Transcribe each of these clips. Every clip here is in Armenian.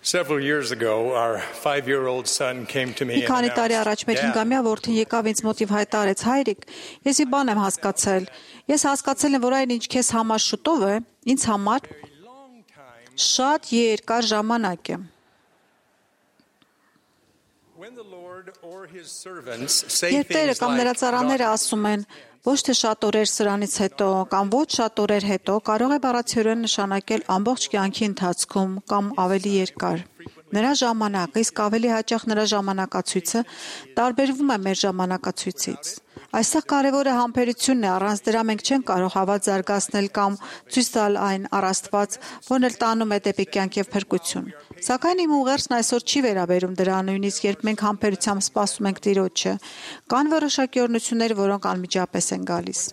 Several years ago, our 5-year-old son came to me Մի and քանի տարի առաջ մեր announced, 5-ամյա որդին եկավ ինձ մոտ եւ հայտարարեց. «Հայրիկ, ես մի բան եմ հասկացել։ Ես հասկացել եմ, որ այն ինչ քեզ համար շուտով է, ինձ համար շատ երկար ժամանակ է»։ When the Lord or his servants say Երբ Տերը things կամ նրա like, ծառաները ասում են ոչ թե շատ օրեր սրանից հետո կամ ոչ շատ օրեր հետո, կարող է բառացիորեն նշանակել ամբողջ կյանքի ընթացքում կամ ավելի երկար։ Նրա ժամանակը, իսկ ավելի հաճախ նրա ժամանակացույցը տարբերվում է մեր ժամանակացույցից։ Այստեղ կարևորը համբերությունն է, առանց դրա մենք չենք կարող հավատ զարգացնել կամ ցույց տալ այն առաստված, որն էլ տանում է դեպի կյանք եւ փրկություն։ Սակայն իմ ուղերձն այսօր չի վերաբերում դրան, նույնիսկ երբ մենք համբերությամբ սպասում ենք Տիրոջը, կան որոշակի օրհնություններ, որոնք անմիջապես են գալիս։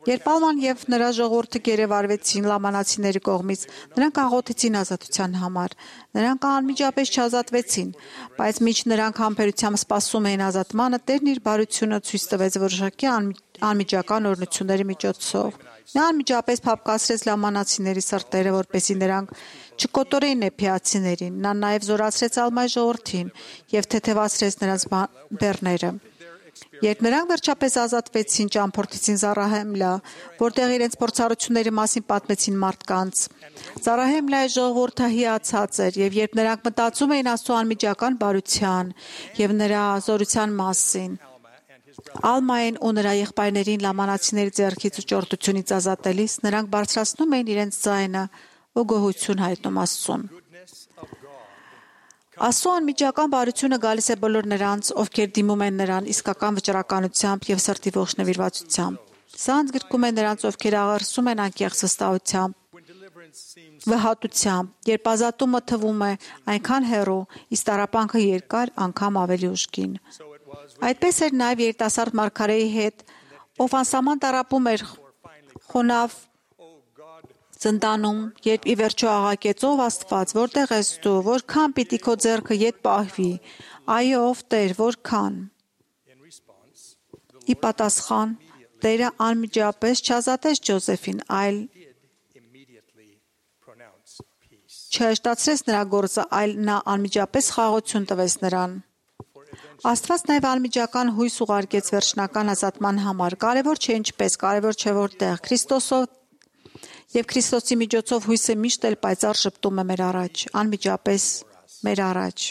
Երբ Ալման եւ նրա ժողովուրդը գերեվարվեցին լամանացիների կողմից, նրանք աղոթեցին ազատության համար։ Նրանք անմիջապես չազատվեցին, բայց մինչ նրանք համբերությամբ սպասում էին ազատմանը, Տերն իր բարությունը ցույց տվեց որոշակի անմիջական օրհնությունների միջոցով։ Նա անմիջապես փափկացրեց լամանացիների սրտերը, որպեսզի նրանք չկոտորեին նեփիացիներին։ Նա նաև զորացրեց Ալմայի ժողովրդին եւ թեթևացրեց նրանց բեռները։ Երբ նրանք վերջապես ազատվեցին, ճամփորդեցին Զարահեմլա, որտեղ իրենց փորձառությունների մասին պատմեցին մարդկանց։ Զարահեմլայի ժողովուրդը հիացած էր, եւ երբ նրանք մտածում էին Աստծո անմիջական բարության եւ նրա զորության մասին, Ալմային ու նրա եղբայրներին լամանացիների ձեռքից ու ճորտությունից ազատելիս, նրանք բարձրացնում էին իրենց ձայնը ու գոհություն հայտնում Աստծուն։ Աստծո անմիջական բարությունը գալիս է բոլոր նրանց, ովքեր դիմում են նրան իսկական վճռականությամբ եւ սրտի ողջ նվիրվածությամբ։ Սա ընդգրկում է նրանց, ովքեր աղերսում են անկեղծ վստահությամբ, վհատությամբ, երբ ազատումը թվում է այնքան հեռու, իսկ տառապանքը երկար, անգամ ավելի ուժգին։ Այդպես էր նաև երիտասարդ մարգարեի հետ, ով անսահման տառապում էր խոնավ զնդանում, երբ ի վերջո աղակեց ով Աստված, որտեղ ես դու, որքան պիտի քո ձեռքը ետ պահվի, այո, ով Տեր, որքան։ Ի պատասխան Տերը անմիջապես չազատեց Ջոզեֆին, այլ չհեշտացրեց նրա գործը, այլ նա անմիջապես խաղաղություն տվեց նրան։ Աստված նաև անմիջական հույս ուղարկեց վերջնական ազատման համար։ Կարևոր չէ ինչպես, կարևոր չէ որտեղ։ Քրիստոսով եւ Քրիստոսի միջոցով հույսը միշտ էլ պայծառ շփտում է մեր առաջ, անմիջապես մեր առաջ։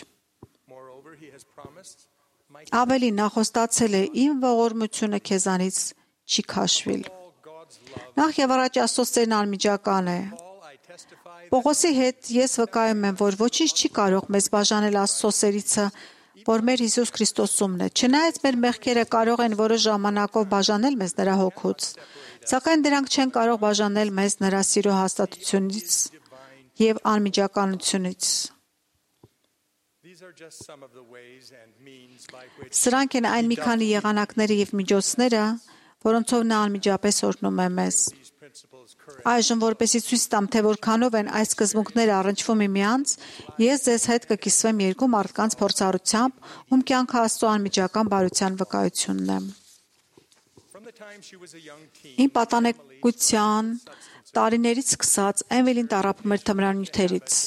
Ավելի նա խոստացել է. «Իմ ողորմությունը քեզանից չի քաշվիլ»։ Նախ եւ առաջ Աստծո սերն անմիջական է։ Պողոսի հետ ես վկայում եմ, որ ոչինչ չի կարող մեզ բաժանել Աստծո սերիցը, որ մեր Հիսուս Քրիստոսումն է։ Չնայած մեր մեղքերը կարող են որոշ ժամանակով բաժանել մեզ նրա հոգուց, սակայն դրանք չեն կարող բաժանել մեզ նրա սիրո հաստատությունից եւ անմիջականությունից։ Սրանք են այն մի քանի եղանակները եւ միջոցները, որոնցով նա անմիջապես օրհնում է մեզ։ Այժմ, որպեսզի ցույց տամ, թե որքանով են այս սկզբունքները առնչվում միմյանց, ես ձեզ հետ կկիսվեմ երկու մարդկանց փորձառությամբ, ում կյանքը Աստծո անմիջական բարության վկայությունն է։ Իմ պատանեկության տարիներից սկսած Էմիլին տառապում էր թմրանյութերից։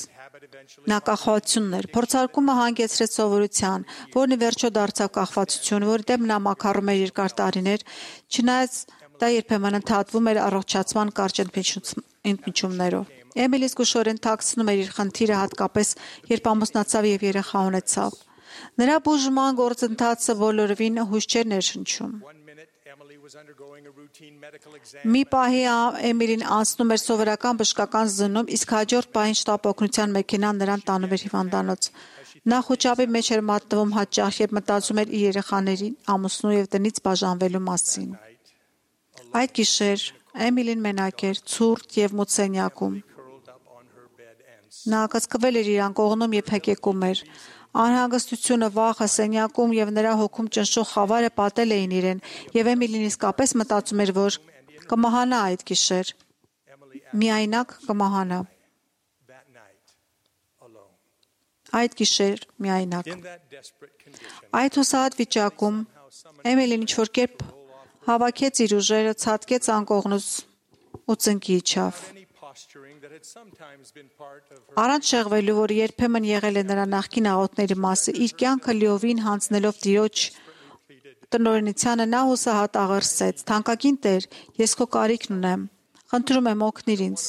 Նա կախվածությունն էր, փորձարկումը հանգեցրեց սովորության, որն ի վերջո դարձավ կախվածություն, որի դեմ նա մաքարում էր երկար տարիներ, չնայած դա երբեմն ընդհատվում էր առողջացման կարճ ընդմիջումներով։ Էմիլին զգուշորեն թաքցնում էր իր խնդիրը, հատկապես երբ ամուսնացավ եւ երեխա ունեցավ։ Նրա բուժման գործընթացը բոլորովին հույս չէր ներշնչում։ Մի պահի Էմիլին անցնում էր սովորական բժշկական զննում, իսկ հաջորդ պահին շտապ օգնության մեքենան նրան տանում էր հիվանդանոց։ Նա խոճապի մեջ էր մատնվում հաճախ, երբ մտածում էր իր երեխաների, ամուսնու եւ տնից բաժանվելու մասին։ Այդ գիշեր Էմիլին մենակ էր, ցուրտ եւ մութ սենյակում։ Նա կծկվել էր իր անկողնում եւ հեկեկում էր։ Անհանգստությունը, վախը, սենյակում եւ նրա հոգում ճնշող խավարը պատել էին իրեն, եւ Էմիլին իսկապես մտածում էր, որ կմահանա այդ գիշեր։ Միայնակ կմահանա։ Այդ գիշեր միայնակ։ Այդ հուսահատ վիճակում Էմիլին ինչ-որ կերպ հավաքեց իր ուժերը, ցատկեց անկողնուց ու ծնկի իջավ։ posturing that had sometimes been part of her Առանց շեղվելու, որ երբեմն եղել է նրա նախկին աղոթների մասը, իր կյանքը լիովին հանձնելով Տիրոջ տնօրինությանը նա հուսահատ աղերսեց. «Թանկագին Տեր, ես քո կարիքն ունեմ, խնդրում եմ օգնիր ինձ,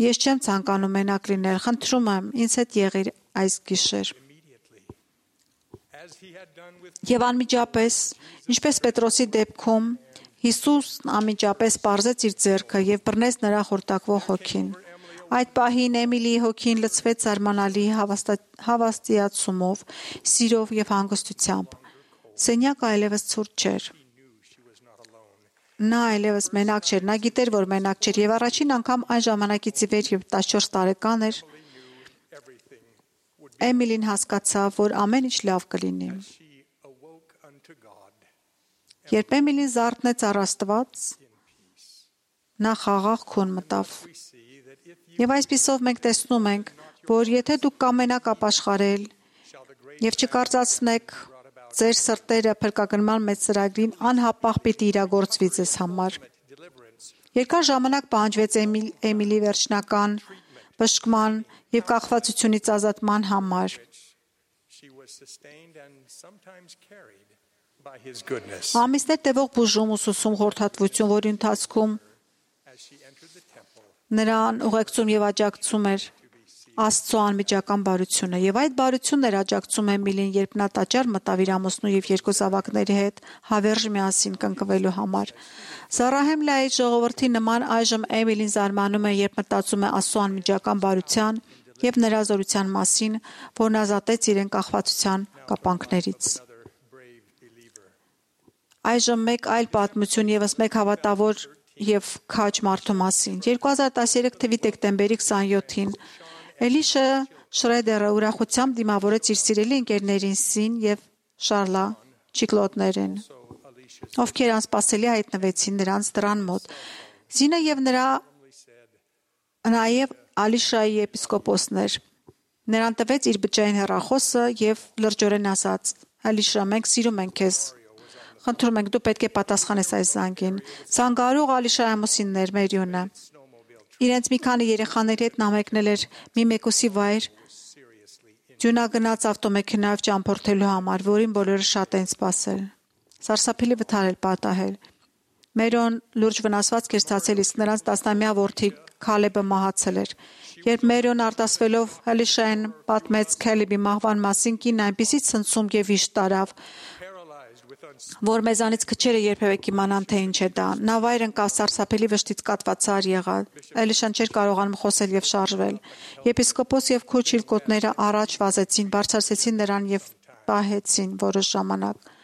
ես չեմ ցանկանում մենակ լինել, խնդրում եմ, ինձ հետ եղիր այս գիշեր»։ immediately, as he had done with Եվ անմիջապես, ինչպես Պետրոսի դեպքում, Հիսուսն անմիջապես պարզեց իր ձեռքը եւ բռնեց նրա խորտակվող հոգին։ Այդ պահին Էմիլիի հոգին լցվեց զարմանալի հավաստիացումով, սիրով եւ հանգստությամբ։ Սենյակը այլևս ցուրտ չէր։ Նա այլևս մենակ չէր, նա գիտեր, որ մենակ չէր եւ առաջին անգամ այն ժամանակից ի վեր, երբ 14 տարեկան էր, everything would Էմիլին հասկացավ, որ ամեն ինչ լավ կլինի։ she awoke unto God Երբ Էմիլին զարթնեց առ Աստված, նա խաղաղ քուն մտավ։ we see that if you Եվ այսպիսով մենք տեսնում ենք, որ եթե դուք կամենաք ապաշխարել shall the great եւ չկարծացնեք ձեր սրտերը փրկագնման մեծ ծրագրին անհապաղ պիտի իրագործվի ձեզ համար։ deliverance Երկար ժամանակ պահանջվեց Էմիլի վերջնական բժշկման եւ կախվածությունից ազատման համար։ she was sustained and sometimes carried by his goodness Ամիսներ տևող բուժում ուսուսում խորհրդատվություն, որի ընթացքում as she entered the temple նրան ուղեկցում եւ աջակցում էր Աստծո անմիջական բարությունը եւ այդ բարությունն էր աջակցում Էմիլին, երբ նա տաճար մտավ իր ամուսնու եւ երկու զավակների հետ հավերժ միասին կնկվելու համար։ Զարահեմլայի ժողովրդի նման այժմ Էմիլին զարմանում է, երբ մտածում է Աստծո անմիջական բարության եւ նրա զորության մասին, որն ազատեց իրեն կախվածության կապանքներից։ another brave believer Այժմ մեկ այլ պատմություն եւս մեկ հավատավոր եւ քաջ մարդու մասին։ 2013 թվականի դեկտեմբերի 27-ին Էլիշա Շրեդերը ուրախությամբ դիմավորեց իր սիրելի ընկերներին Սին եւ Շարլա Չիկլոտներին, so Alicia ովքեր անսպասելի հայտնվեցին նրանց դռան մոտ։ Զինը եւ նաեւ Ալիշայի եպիսկոպոսն էր։ Նրան տվեց իր բջջային հեռախոսը եւ լրջորեն ասաց. «Ալիշա, մենք սիրում ենք քեզ։ Խնդրում ենք, դու պետք է պատասխանես այս զանգին»։ Զանգարող Ալիշայի ամուսիններ Մերիոնը իրենց մի քանի երեխաների հետ նա մեկնել էր մի մեկուսի վայր seriously Ջունագնաց ավտոմեքենայով ճամփորդելու համար, որին բոլորը շատ են սպասել։ Սարսափելի վթար էր պատահել։ Մերոն լուրջ վնասված կերծացել, իսկ նրանց 10-ամյա որդի Քալեբը մահացել էր։ Երբ Մերոն արտասվելով Ալիշային պատմեց Քալեբի մահվան մասին, կինն այնպիսի ցնցում եւ վիշտ տարավ, paralyzed with որ մեզանից քչերը երբևէ կիմանան, թե ինչ է դա։ Նա վայր ընկավ, սարսափելի վշտից կատվածար եղավ։ Ալիշան չէր կարողանում խոսել եւ շարժվել։ Եպիսկոպոս եւ քոչիլկոտները առաջ վազեցին, բարձրացեցին նրան եւ պահեցին որոշ ժամանակ։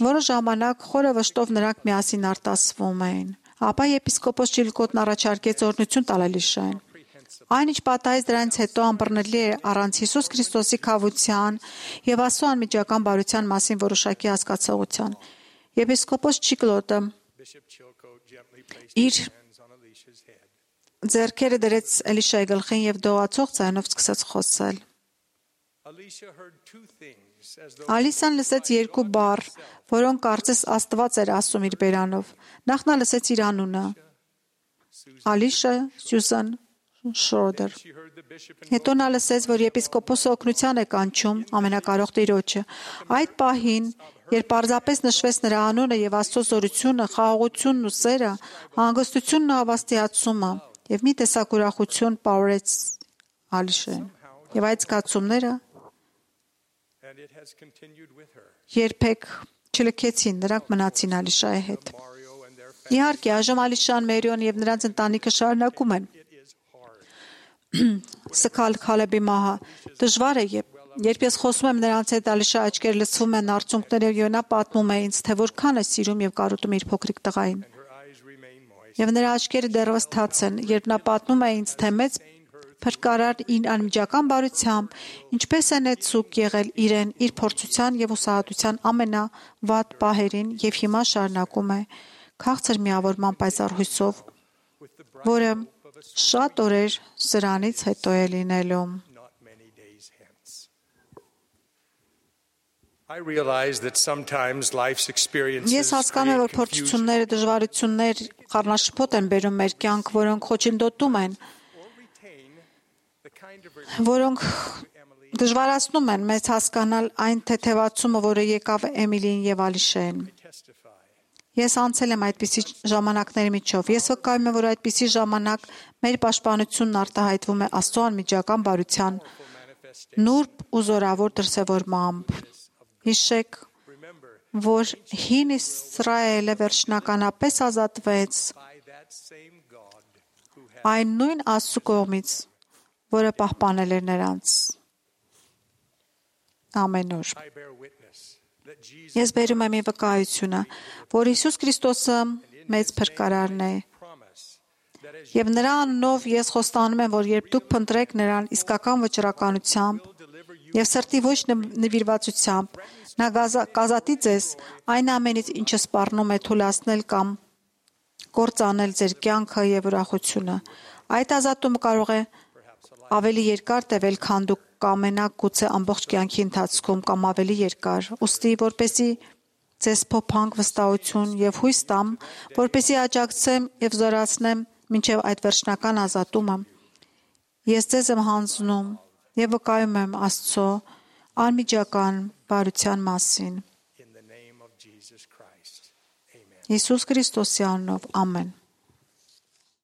Որոշ ժամանակ խորը վշտով նրանք միասին արտասվում էին։ Ապա եպիսկոպոս Չիլկոտն առաջարկեց օրհնություն տալ Ալիշային։ Այնինչ պատահեց դրանից հետո անբռնելի է առանց Հիսուս Քրիստոսի քավության եւ Աստծո անմիջական բարության մասին որոշակի հասկացողության։ Եպիսկոպոս Չիկլոտը Bishop Chilcote gently placed իր his hands on Alicia's head. ձեռքերը դրեց Էլիշայի գլխին եւ դողացող ձայնով սկսեց խոսել։ Alicia heard two things as though Ալիսան լսեց երկու բառ, որոնք կարծես Աստված էր ասում իր բերանով։ Նախ նա լսեց իր անունը՝ Ալիշա Սյուզան Շրոդեր։ she heard the bishop and Հետո նա լսեց, որ եպիսկոպոսը օգնության է կանչում ամենակարող Տիրոջը։ Այդ պահին, երբ պարզապես նշվեց նրա անունը եւ Աստծո զորությունը, խաղաղությունն ու սերը, հանգստությունն ու հավաստիացումը եւ մի տեսակ ուրախություն պարուրեց Ալիշային։ Եվ այդ զգացումները it has continued with her. երբեք չլքեցին, նրանք մնացին Ալիշայի հետ։ Mario and their Իհարկե, այժմ Ալիշան, Մերիոն եւ նրանց ընտանիքը շարունակում են it is hard. սքալ Քալեբի մահը։ Դժվար է, երբ ես խոսում եմ նրանց հետ, Ալիշա աչքեր լցվում են արցունքներով եւ նա պատմում է ինձ, թե որքան է սիրում եւ կարոտում իր փոքրիկ տղային։ Her eyes remain moist. Եվ նրա աչքերը դեռևս թաց են, երբ նա պատմում է ինձ, թե մեծ փրկարար իր անմիջական բարությամբ ինչպես է նեցուկ եղել իրեն իր փորձության եւ ուսահատության ամենավատ պահերին եւ հիմա շարունակում է քաղցր միավորման պայծառ հույսով, որը շատ օրեր սրանից հետո է լինելու։ Not many days hence. I realize that sometimes life's experiences Ես հասկանում եմ, որ create confusion փորձությունները, դժվարություններ խառնաշփոթ են բերում մեր կյանք, որոնք խոչընդոտում են, or retain the kind of որոնք դժվարացնում են մեզ հասկանալ այն թեթևացումը, որը եկավ Էմիլին եւ Ալիշեն։ testify Ես անցել եմ այդպիսի ժամանակների միջով։ Ես վկայում եմ, որ այդպիսի ժամանակ մեր պաշտպանությունն արտահայտվում է Աստծո անմիջական բարության նուրբ ու զորավոր դրսևորմամբ։ Հիշեք, remember որ հին Իսրայելը վերջնականապես ազատվեց by that same God who has այն նույն Աստծո կողմից, որը պահպանել էր նրանց։ Ամեն օր։ I bear witness that Jesus Ես բերում եմ վկայությունը, որ Հիսուս Քրիստոսը մեծ փրկարարն է, promise that as եւ նրա անունով ես խոստանում եմ, որ երբ դուք փնտրեք նրան իսկական վճռականությամբ եւ սրտի ոչ նվիրվածությամբ, նա կազատի ձեզ այն ամենից, ինչը սպառնում է թուլացնել կամ կործանել ձեր կյանքը եւ ուրախությունը։ Այդ ազատումը կարող է ավելի երկար տևել, քան դուք կամենաք գուցե ամբողջ կյանքի ընթացքում կամ ավելի երկար։ Ուստի, որպեսզի ձեզ փոփանք վստահություն եւ հույս տամ, որպեսզի աջակցեմ եւ զորացնեմ մինչեւ այդ վերջնական ազատումը, ես ձեզ եմ հանձնում եւ վկայում եմ Աստծո անմիջական բարության մասին։ in the name of Jesus Christ. Amen. Հիսուս Քրիստոսի անունով, ամեն։